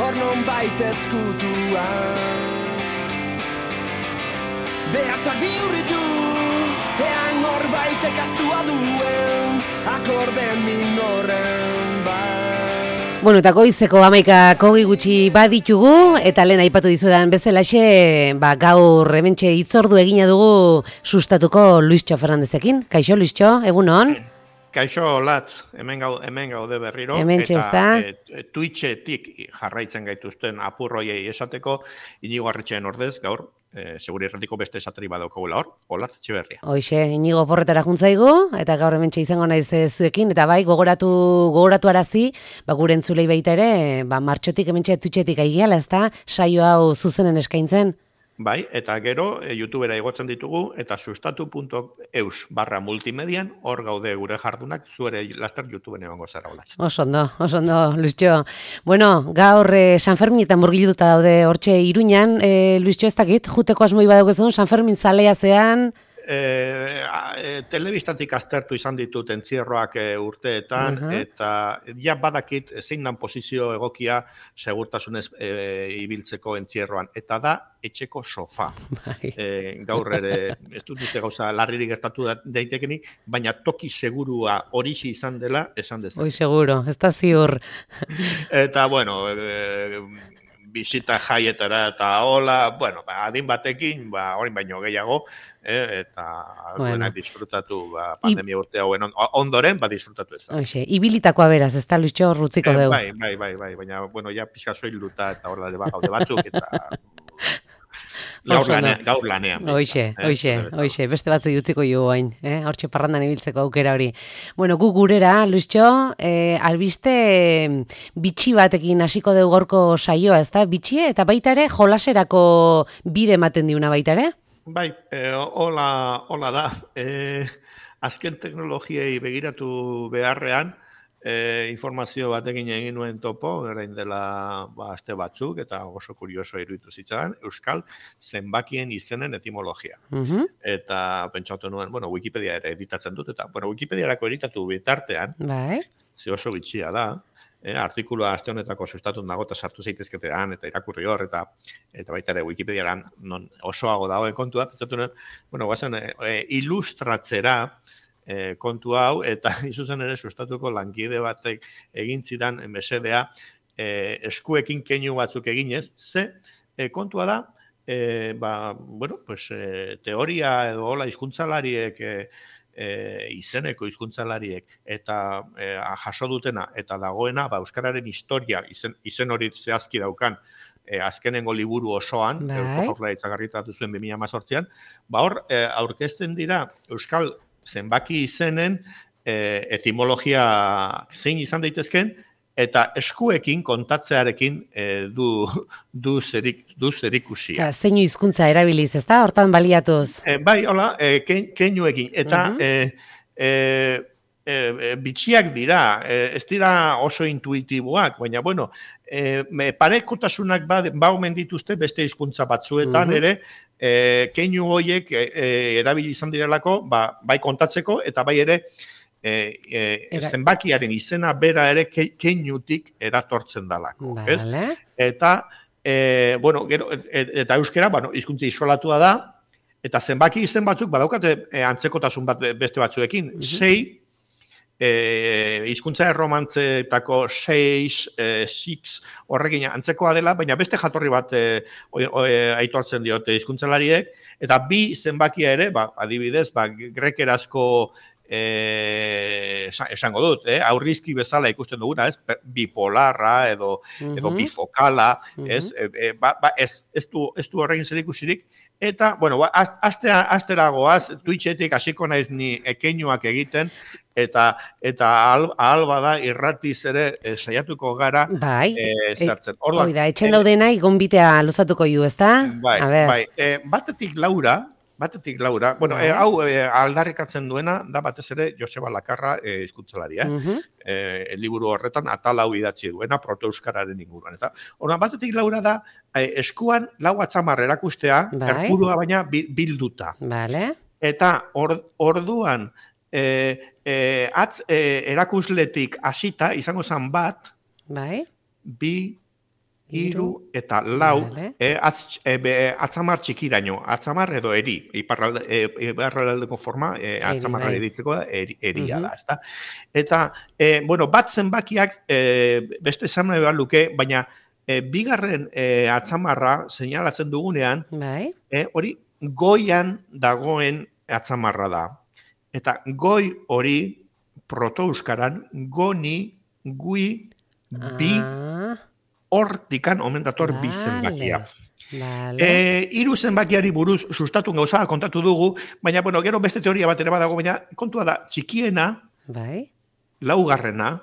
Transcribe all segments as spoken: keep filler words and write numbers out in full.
hor non baita ezkutuan. Behatzak bihurritu, ean norbaitek aztua duen, akorde minoren bat. Bueno, eta goizeko hamaikako gutxi baditugu, eta lehen aipatu dizudan bezalaxe, ba, gaur hementxe hitzordu egina dugu sustatuko Luistxo Fernandezekin. Kaixo, Luistxo, egunon? Kaixo, Latz, hemen, gau, hemen gaude berriro. Hemen txezta. Eta e, Twitchetik jarraitzen gaituzten apurroiei esateko, Inigo Arretxeen ordez, gaur, E, seguri erratiko beste esateri badaukagula hor, Olatz Etxeberria. Hoixe, Inigo porretara juntzaigu, eta gaur hementxe izango naiz zuekin, eta bai, gogoratu, gogoratu arazi, ba, gure entzulei baita ere, ba, martxotik hementxe Twitchetik aigiala, ez da, saio hau zuzenen eskaintzen. Bai, eta gero, e, YouTubera igotzen ditugu, eta sustatu puntu eus barra multimedian, hor gaude gure jardunak, zuere laster YouTubeen egongo zara, Olatz. Osondo, osondo, Luistxo. Bueno, gaur eh, San Ferminetan murgilduta daude hortxe Iruñan, eh, Luistxo ez dakit, juteko asmoi badaukezun, San Fermin zalea zean... E, e, telebistatik aztertu izan ditut entzierroak e, urteetan, uh-huh. eta ja badakit zein dan posizio egokia segurtasunez e, ibiltzeko entzierroan, eta da etxeko sofa. E, gaur ere, ez dut dute gauza larriri gertatu daitekenik, baina toki segurua horixe izan dela esan dezak. Hoi seguro, ez da ziur. Eta, bueno... E, bizita jaietara eta hola, bueno, ba, adin batekin, ba, orain baino gehiago, eh, eta bueno. disfrutatu ba, pandemia urte hauen ondoren, ba, disfrutatu ez da. Oixe, ibilitakoa beraz, ez da Luistxo rutziko eh, dugu. Bai, bai, bai, bai, baina, bueno, ja pixka soiluta eta hor da gaude batzuk, eta... Gaur lanean, gaur lanean. Oixe, oixe, oixe, beste batzu utziko jo hain, eh? Hortxe parrandan ibiltzeko aukera hori. Bueno, gu gurera, Luistxo, eh, albiste bitxi batekin hasiko dugu gorko saioa, ez da? Bitxie eta baita ere jolaserako bide ematen diuna baita ere? Bai, eh, hola, hola da. Eh, azken teknologiei begiratu beharrean, E, informazio batekin egin nuen topo, orain dela ba, aste batzuk, eta oso kurioso iruditu zitzaren, Euskal zenbakien izenen etimologia. Uh-huh. Eta pentsatu nuen, bueno, Wikipedia ere editatzen dut, eta bueno, Wikipediarako editatu bitartean, bai. ze oso bitxia da, eh, artikulua aste honetako sustatun dago, eta sartu zaitezketean, eta irakurri hor, eta eta baita ere Wikipediaran non osoago dagoen kontua, pentsatu nuen, bueno, guazen, e, e, ilustratzera, E, kontu hau, eta izuzen ere sustatuko lankide batek egin zidan mesedea e, eskuekin keinu batzuk eginez, ze e, kontua da, e, ba, bueno, pues, e, teoria edo hola hizkuntzalariek e, e, izeneko hizkuntzalariek eta e, jaso dutena eta dagoena, ba, euskararen historia izen, izen hori zehazki daukan, E, azkenengo liburu osoan, bai. Eusko Jaurlaritzak argitatu zuen bi mila hemezortzian, ba hor, e, aurkezten dira Euskal zenbaki izenen e, etimologia zein izan daitezken, eta eskuekin kontatzearekin e, du, du, zerik, du zerikusia. Ja, zeinu hizkuntza erabiliz, ez da? Hortan baliatuz. E, bai, hola, e, keinuekin. Eta uh-huh. e, e, e, bitxiak dira, e, ez dira oso intuitiboak, baina, bueno, e, parekotasunak ba, ba omen dituzte beste hizkuntza batzuetan uh-huh. ere, E, keinu horiek e, e, erabili izan direlako, ba, bai kontatzeko, eta bai ere e, e, zenbakiaren izena bera ere ke, keinutik eratortzen dalako. Vale. Eta, e, bueno, gero, et, eta euskera, bueno, hizkuntza isolatua da, eta zenbaki izen batzuk, badaukate e, antzekotasun bat beste batzuekin, uh-huh. sei, E, hizkuntza erromantzetako seis, e, six, horrekin antzekoa dela, baina beste jatorri bat e, o, o, e, aitortzen diote hizkuntzalariek, eta bi zenbakia ere, ba, adibidez, ba, grekerazko e, esango dut, eh? aurrizki bezala ikusten duguna, ez? Bipolarra edo, uh-huh. edo bifokala, uh-huh. ez? E, e, ba, ba, ez, ez du, ez du horrekin zer ikusirik, eta, bueno, ba, astea, astera goaz, Twitchetik hasiko naiz ni ekeinuak egiten, eta eta ahal, ahal bada irratiz ere e, saiatuko gara bai, e, zertzen. Orduan, hori da, etxen daudenai gonbitea luzatuko ju, ezta? Bai, bai. E, batetik Laura, batetik Laura, bueno, bai. e, hau e, aldarrikatzen duena da batez ere Joseba Lakarra e, hizkuntzalaria, eh? Uh-huh. E, liburu horretan atal hau idatzi duena proto-euskararen inguruan, eta orduan batetik Laura da e, eskuan lau atzamar erakustea, bai. Erpurua baina bilduta. Vale. Eta or, orduan E, e, atz e, erakusletik hasita izango zen bat, bai. bi, iru eta lau, Vale. e, atz, e, be, atzamar txikiraino, atzamar edo eri, iparralde, e, iparraldeko forma, e, atzamarra bai. editzeko da, eri, eria Mhm. da, ezta? Eta, e, bueno, bat zenbakiak e, beste esan nahi behar luke, baina e, bigarren e, atzamarra seinalatzen dugunean, Bai. e, hori goian dagoen atzamarra da. Eta goi hori proto-euskaran goni, gui, bi, Ah, hortikan omen dator bi zenbakia. vale. Vale. E, hiru zenbakiari buruz sustatu gauza kontatu dugu, baina bueno, gero beste teoria bat ere badago, baina kontua da, txikiena, Bai. laugarrena,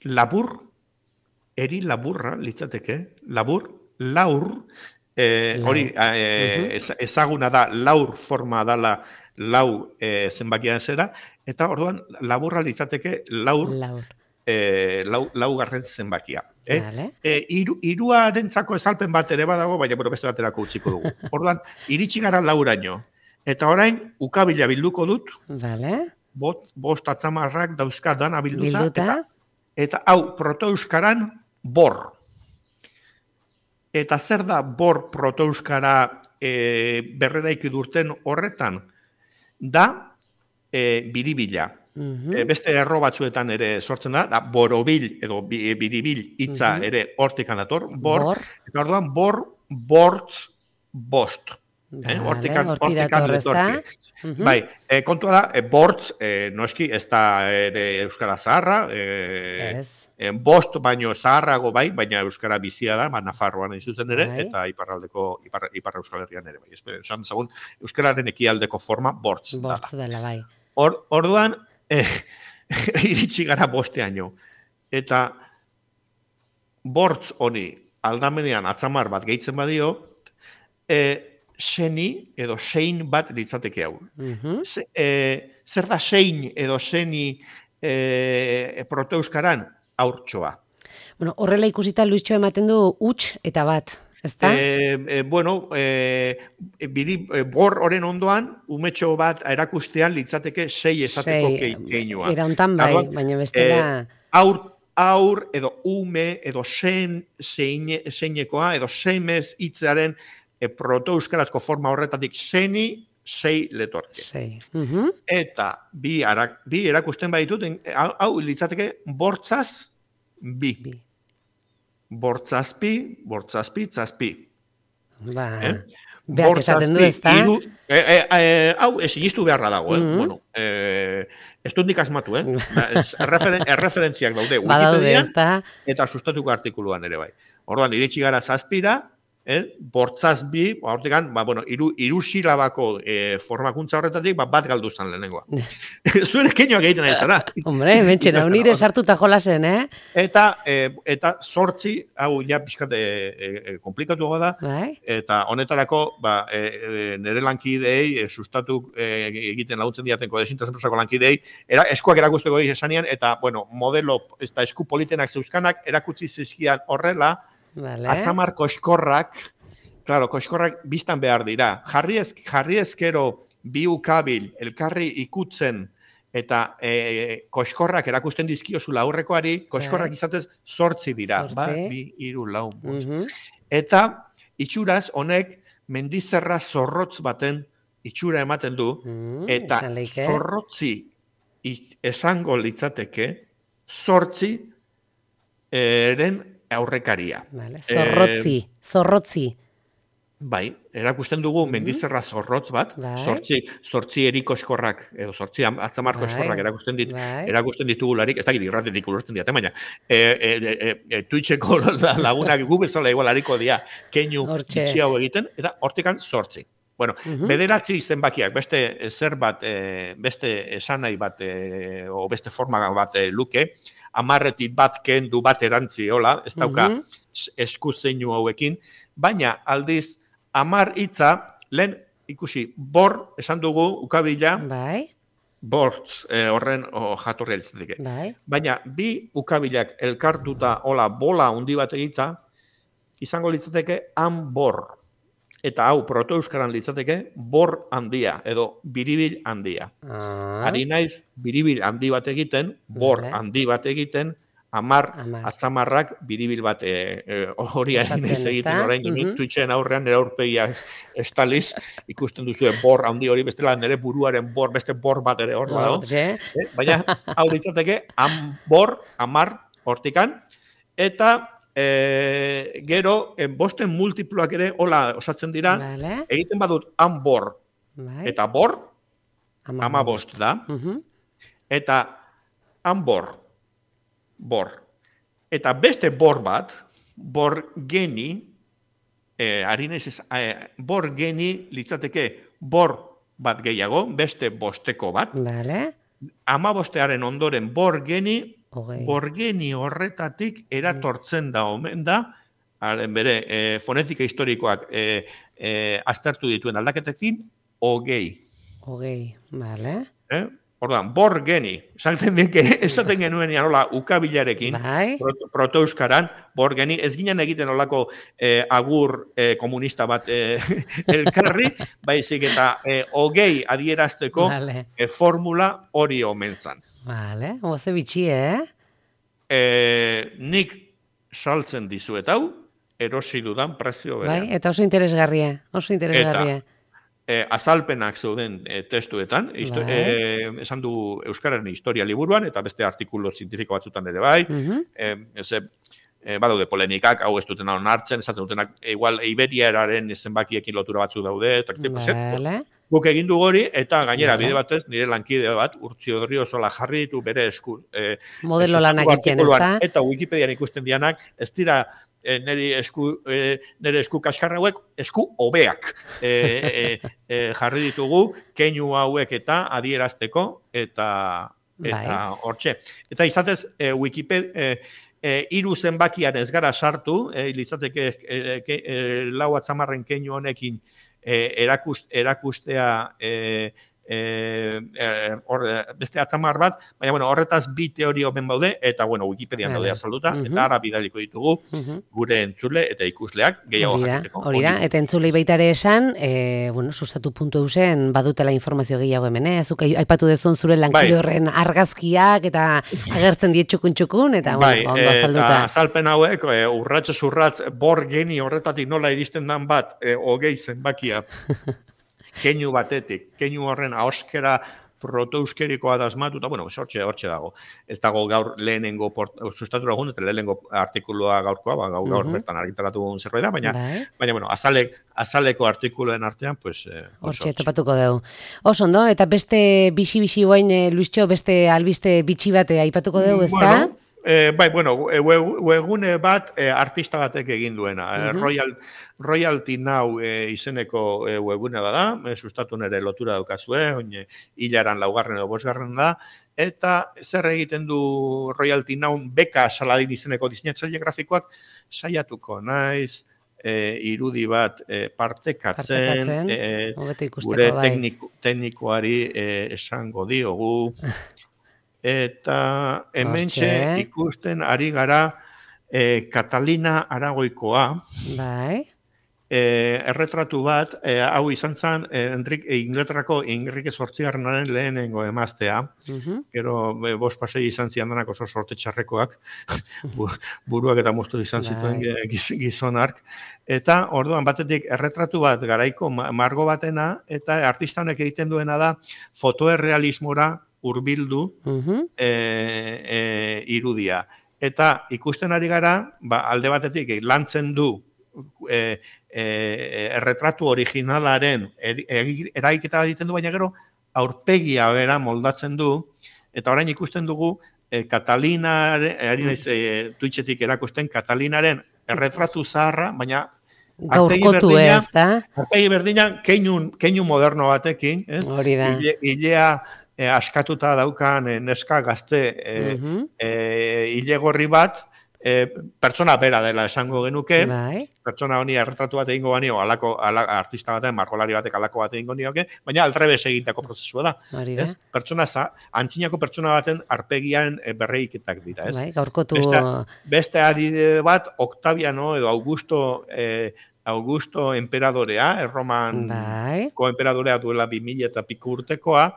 labur, eri laburra litzateke, labur, laur, e, Lau. hori e, ez- ezaguna da, laur forma dala lau e, zenbakian zera, eta orduan laburra litzateke laur, Laur. e, lau, laugarren zenbakia. Eh? Vale. E, iru, iruarentzako ezalpen bat ere badago, baina bueno, beste baterako utziko dugu. Orduan, iritsi gara lauraino. Eta orain, ukabila bilduko dut, Vale. bot, bost atzamarrak dauzka dana bilduta, Bilduta. eta, eta hau, proto-euskaran, bor. Eta zer da bor proto-euskara e, berreraiki durten horretan? Da, e, biribila. Mhm. E, beste erro batzuetan ere sortzen da, da borobil edo bi- biribil hitza Mhm. ere hortikan dator, bor, Bor. eta orduan bor, bortz, bost. Vale, Eh, hortikan, horti hortikan dator, ezta? letorki. Mhm. Bai, e, kontua da, e, bortz, e, noski, ez da ere euskara zaharra, e, Ez. e, bost baino zaharrago bai, baina euskara bizia da, ba, Nafarroan hain zuzen ere, Bai. eta iparraldeko, ipar, ipar euskal herrian ere bai. Espe- Esan dezagun, euskararen ekialdeko forma bortz dala. Bortz dela, bai. Or, orduan, eh, iritsi gara bosteaino. Eta bortz honi aldamenean atzamar bat gehitzen badio, eh, seni edo sein bat litzateke hau. Mhm. Z, eh, zer da sein edo seni eh, proto-euskaran? Haurtxoa. Bueno, horrela ikusita Luistxo ematen du huts eta bat, ezta? Eh, eh, bueno, eh, biri, eh, bor horren ondoan, umetxo bat erakustean litzateke sei esateko Sei, keinua. era hontan bai, Orduan, baina bestela... Eh, aur, aur edo ume edo sen zeine, zeinekoa edo semez hitzearen e, proto-euskarazko forma horretatik seni sei letorke. Sei. Mhm. Eta bi, arak, bi erakusten baditut, en- hau, hau litzateke bortzaz bi. Bi. Bortzazpi, bortzazpi, zazpi. Ba, Eh? beak esaten du, ezta? Hiru, e, e, e, hau esinistu beharra dago, eh? Mhm. Bueno, eh, ez dut nik asmatu, eh? Ba, ez- erreferen, erreferentziak daude Badaude, Wikipedian ezta? eta sustatuko artikuluan ere bai. Orduan, iritsi gara zazpira, eh? Bortzaz bi, ba, hortikan, ba, bueno, iru, iru silabako eh, formakuntza horretatik, ba, bat galdu zan lehenengoa. Zuen keinoak egiten ari zara. Hombre, mentxen, hau nire sartuta jolasen, eh? Eta, e, eta sortzi, hau ja pixkat e, e, komplikatu da, Bai? eta honetarako ba, e, e, nire lankideei e, sustatu e, egiten laguntzen diatenko desintazenprosako lankideei, era, eskuak erakusteko esanean, eta bueno, modelo eta esku politenak zeuzkanak erakutsi zizkian horrela, Vale. atzamar koskorrak, claro, koskorrak biztan behar dira. Jarri, ez, jarri ezkero bi ukabil elkarri ikutzen eta e, koskorrak erakusten dizkiozula aurrekoari, koskorrak izatez zortzi dira. Zortzi. Ba, bi, hiru, lau, bost. Mhm. Eta itxuraz honek mendizerra zorrotz baten itxura ematen du, Mm, eta izan leike. zorrotzi it- esango litzateke zortzi eren aurrekaria. Vale. Zorrotzi, zorrotzi. Bai, erakusten dugu mendizerra zorrotz bat, Bai. zortzi, zortzi erikoskorrak, edo zortzi am- atzamar Bai. koskorrak erakusten, dit, Bai. erakusten ditugularik, ez dakit irratetik ulertzen diate, baina e, e, e, e, Twitcheko lagunak gu bezala igual hariko dia keinu Hortxe. bitxi hau egiten, eta hortikan zortzi. Bueno, Mhm. bederatzi zenbakiak, beste zer bat, e, beste esanai bat, e, o beste forma bat e, luke, amarretik bat kendu bat erantzi, hola, ez dauka Mhm. esku zeinu hauekin, baina aldiz, amar hitza, lehen ikusi, bor, esan dugu, ukabila, Bai, bortz e, horren o, jatorria litzateke. bai. Baina bi ukabilak elkartuta, hola, bola handi bat egitza, izango litzateke anbor. Eta hau, proto-euskaran litzateke, bor handia, edo biribil handia. Ah, Ari naiz, biribil handi bat egiten, bor Vale. handi bat egiten, amar, atzamarrak biribil bat hori hain ez egiten orain, nik Twitchen aurrean nire aurpegia estaliz, ikusten duzu bor handi hori, bestela nire buruaren bor, beste bor bat ere hor badago. Baina, hau ditzateke, bor, amar, hortikan, eta gero, bosten multiploak ere, hola osatzen dira, egiten badut han bor, eta bor, ama bost da, eta han bor, bor. Eta beste bor bat, bor geni, eh, harinez ez, eh, bor geni litzateke bor bat gehiago, beste bosteko bat. Vale. Ama bostearen ondoren bor geni, bor geni horretatik eratortzen da omen da, haren bere, eh, fonetika historikoak eh, eh, aztertu dituen aldaketekin, hogei. Hogei, vale. Eh? Orduan, bor geni, esaten esaten genuen nola ukabilarekin, proto, proto-euskaran, bor geni, ez ginen egiten olako eh, agur eh, komunista bat eh, elkarri, baizik eta eh, hogei adierazteko vale. eh, formula hori omentzan. Vale, oze bitxi, eh? eh? Nik saltzen dizuet hau, erosi dudan prezio berean. Bai, eta oso interesgarria, oso interesgarria. Eta, Eh, azalpenak zeuden eh, testuetan, bai. eh, esan du Euskararen historia liburuan, eta beste artikulu zientifiko batzutan ere bai, uh-huh. eh, ez, eh, badaude polemikak, hau ez duten onartzen, esaten dutenak, igual Iberiararen zenbakiekin lotura batzu daude, eta vale. Guk egin du hori, eta gainera vale. Bide batez, nire lankide bat, Urtzi Odriozola jarri ditu bere esku. Eh, Modelo lanak egiten, ez da? Eta Wikipedian ikusten dianak, ez dira, nire esku, e, nire esku kaskarra hauek, esku hobeak e, e, e, jarri ditugu, keinu hauek eta adierazteko, eta eta hortxe. Eta izatez, e, Wikipedia, e, e, iru zenbakian ez gara sartu, e, litzateke e, e, e, lau atzamarren keinu honekin e, erakust, erakustea e, E, e, or, beste atzamar bat, baina bueno, horretaz bi teorio ben baude, eta bueno, Wikipedian daude azalduta, uh-huh. eta ara bidaliko ditugu uh-huh. gure entzule eta ikusleak gehiago jakiteko. Hori da, eta entzulei baita ere esan, e, bueno, sustatu puntu eusen, badutela informazio gehiago hemen, eh? Azuk aipatu dezun zure lankide horren bai. Argazkiak, eta agertzen die txukun-txukun, eta bai, bueno, ondo azalduta. Eta azalpen hauek, e, urratx urratz, bor geni horretatik nola iristen dan bat, e, hogei zenbakia, keinu batetik, keinu horren ahoskera protoeuskerikoa da asmatuta, bueno, hortxe, hortxe dago. Ez dago gaur lehenengo sustatu lagun, eta lehenengo artikulua gaurkoa, ba, gaur, gaur uh-huh. bertan argitaratu zerbait da, baina, bai. baina bueno, azalek, azaleko artikuluen artean, pues... Eh, hortxe, topatuko dugu. Oso, ondo, eta beste bixi-bixi guain, eh, Luiztxo, beste albiste bitxi bate aipatuko dugu, ez da? Bueno, Eh, bai, bueno, webgune bat eh, artista batek egin duena. Uh-huh. eh, Royal, Royalty Now eh, izeneko eh, webgune bada, eh, sustatu nere lotura daukazue, oine, hilaran laugarren edo bosgarren da, eta zer egiten du Royalty Now beka saladin izeneko diseinatzaile grafikoak saiatuko naiz, eh, irudi bat eh, partekatzen, partekatzen eh, gure bai. tekniko, teknikoari eh, esango diogu, eta hementxe ikusten ari gara eh, Catalina Aragoikoa, bai. eh, erretratu bat, eh, hau izan zen, eh, Enrik, eh, Inglaterrako Enrique zortzigarrenaren lehenengo emaztea, uh-huh. gero eh, bost pasei izan ziandanak oso sorte txarrekoak, buruak eta moztu izan zituen bai. Gizonark, eta orduan batetik erretratu bat garaiko margo batena, eta artista honek egiten duena da fotoerrealismora hurbildu uh-huh. e, e, irudia. Eta ikusten ari gara, ba, alde batetik lantzen du e, e, erretratu originalaren er, eraiketa egiten du, baina gero aurpegia bera moldatzen du, eta orain ikusten dugu e, Katalinaren, ari naiz e, Twitchetik erakusten, Katalinaren erretratu zaharra, baina gaurkotu ez, da? Aurpegi berdinan keinu, keinu moderno batekin, ez? Hori da. Ile, ilea E, askatuta daukan e, neska gazte e, uh-huh. e, ilegorri bat, e, pertsona bera dela esango genuke, bai. Pertsona honi erretratu bat egingo banio, alako, alako artista baten, margolari batek alako bat egingo nioke, baina aldrebes egitako prozesua da. Ez? Pertsona za, antzinako pertsona baten arpegian e, berreiketak dira. Ez? Bai, gaurkotu... Beste, beste adide bat, Octaviano edo Augusto e, Augusto Emperadorea, Erroman bai. koemperadorea duela bi mila eta piku urtekoa,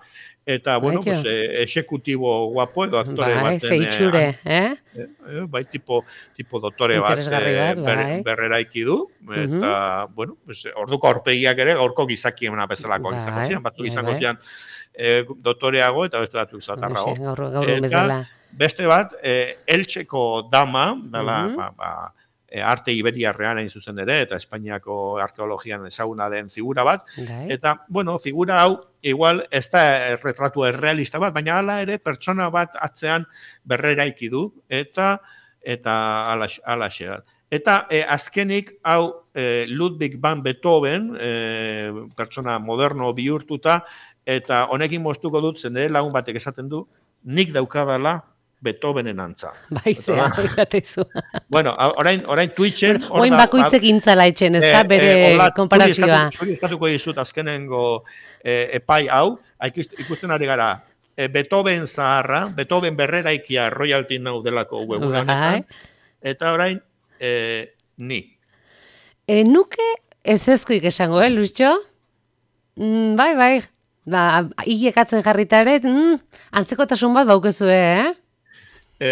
eta, bueno, Baitio. pues, eh, exekutibo guapo edo aktore Bai, baten... zeitxure, eh? eh, eh, bai, tipo, tipo doktore bat, Interesgarri bat, ber, bai. berreraiki du, eta, bueno, pues, orduko aurpegiak ere gaurko gizakiena bezalakoak Bai, izango zian, batzuk bai, izango bai. zian eh, doktoreago eta beste batzuk zatarrago. Hoxe, Gaur, gaur bezala. Beste bat, eh, Eltseko dama, dala, Mhm. ba, ba, e, arte iberiarrean hain zuzen ere, eta Espainiako arkeologian ezaguna den figura bat, Bai. eta, bueno, figura hau, igual, ez da retratu errealista bat, baina hala ere, pertsona bat atzean berreraiki du, eta eta alaxe. Eta e, azkenik, hau, e, Ludwig van Beethoven, e, pertsona moderno bihurtuta, eta honekin moztuko dut, zendere lagun batek esaten du, nik daukadala Beethovenen antza. Baizea, izatezu. Bueno, orain, orain Twitchen... Oin bakoitzek intzala etxen, ez da, bere eh, olatz, konparazioa. Zuri eskatuko dizut azkenengo eh, epai hau, ikusten ari gara, eh, Beethoven zaharra, Beethoven berreraikia royalty now delako webuna honetan, eta orain, eh, ni. E, nuke ez ezkoik esango, eh, Luiztxo? Mm, bai, bai. Ba, hilekatzen jarrita ere, mm, antzekotasun bat baukezue, eh? E,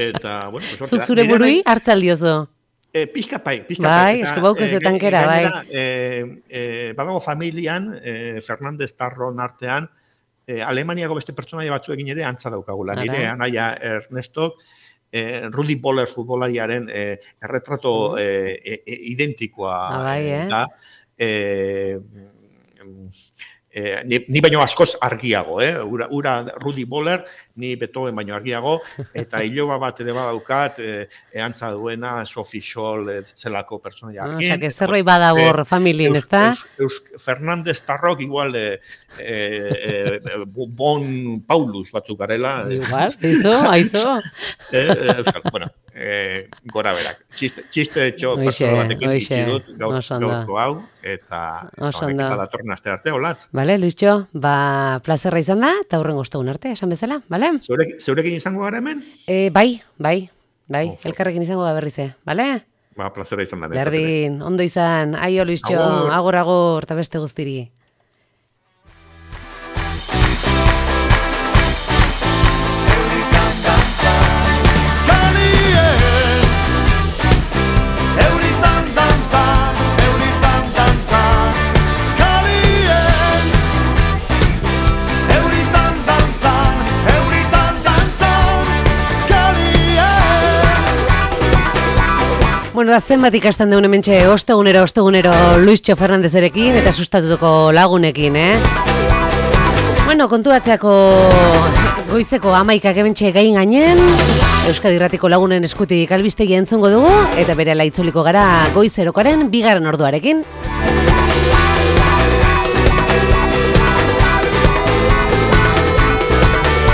eta, bueno, pues, Zuk zure burui hartzaldiozo. E, pixka pai, pixka bai, pai. esko baukezu tankera, bai. E, e, badago familian, e, Fernandez Tarron artean, e, Alemaniako beste pertsonaia batzuekin ere antza daukagula. Ara. Nire anaia Ernestok, e, Rudi Boller futbolariaren e, erretrato e, e, identikoa ah, bai, eh? da. E, Eh, ni, ni baino askoz argiago, eh? Ura, ura Rudi Boller, ni Beethoven baino argiago, eta iloba bat ere badaukat, eh, eantza duena, Sophie Scholl, eh, zelako pertsonaia argin. Osa, que zerroi badabor eh, familien, ez da? Fernandez Tarrok igual de, eh, eh, Bon Paulus batzuk garela. Igual, aizo, aizo. eh, Euskal, bueno, eh, gora berak. Txiste, txiste etxo pertsona batekin itxi dut, gaurko hau, eta honekin badatorren aste arte, olatz. Bale, Luiztxo, ba, plazerra izan da, eta horren goztagun arte, esan bezala, bale? Zeurek, zeurekin izango gara hemen? E, bai, bai, bai, oh, elkarrekin izango da berrize, bale? Ba, plazerra izan da. Berdin, ondo izan, aio Luiztxo, agor, agor, eta beste guztiri. Bueno, da zenbat ikasten deun hementxe ostegunero, ostegunero Luiztxo Fernandezerekin eta sustatuko lagunekin, eh? Bueno, konturatzeako goizeko amaikak hementxe gain gainen, Euskadi Irratiko lagunen eskutik albistegi entzungo dugu, eta bere laitzuliko gara goizerokaren bigarren orduarekin.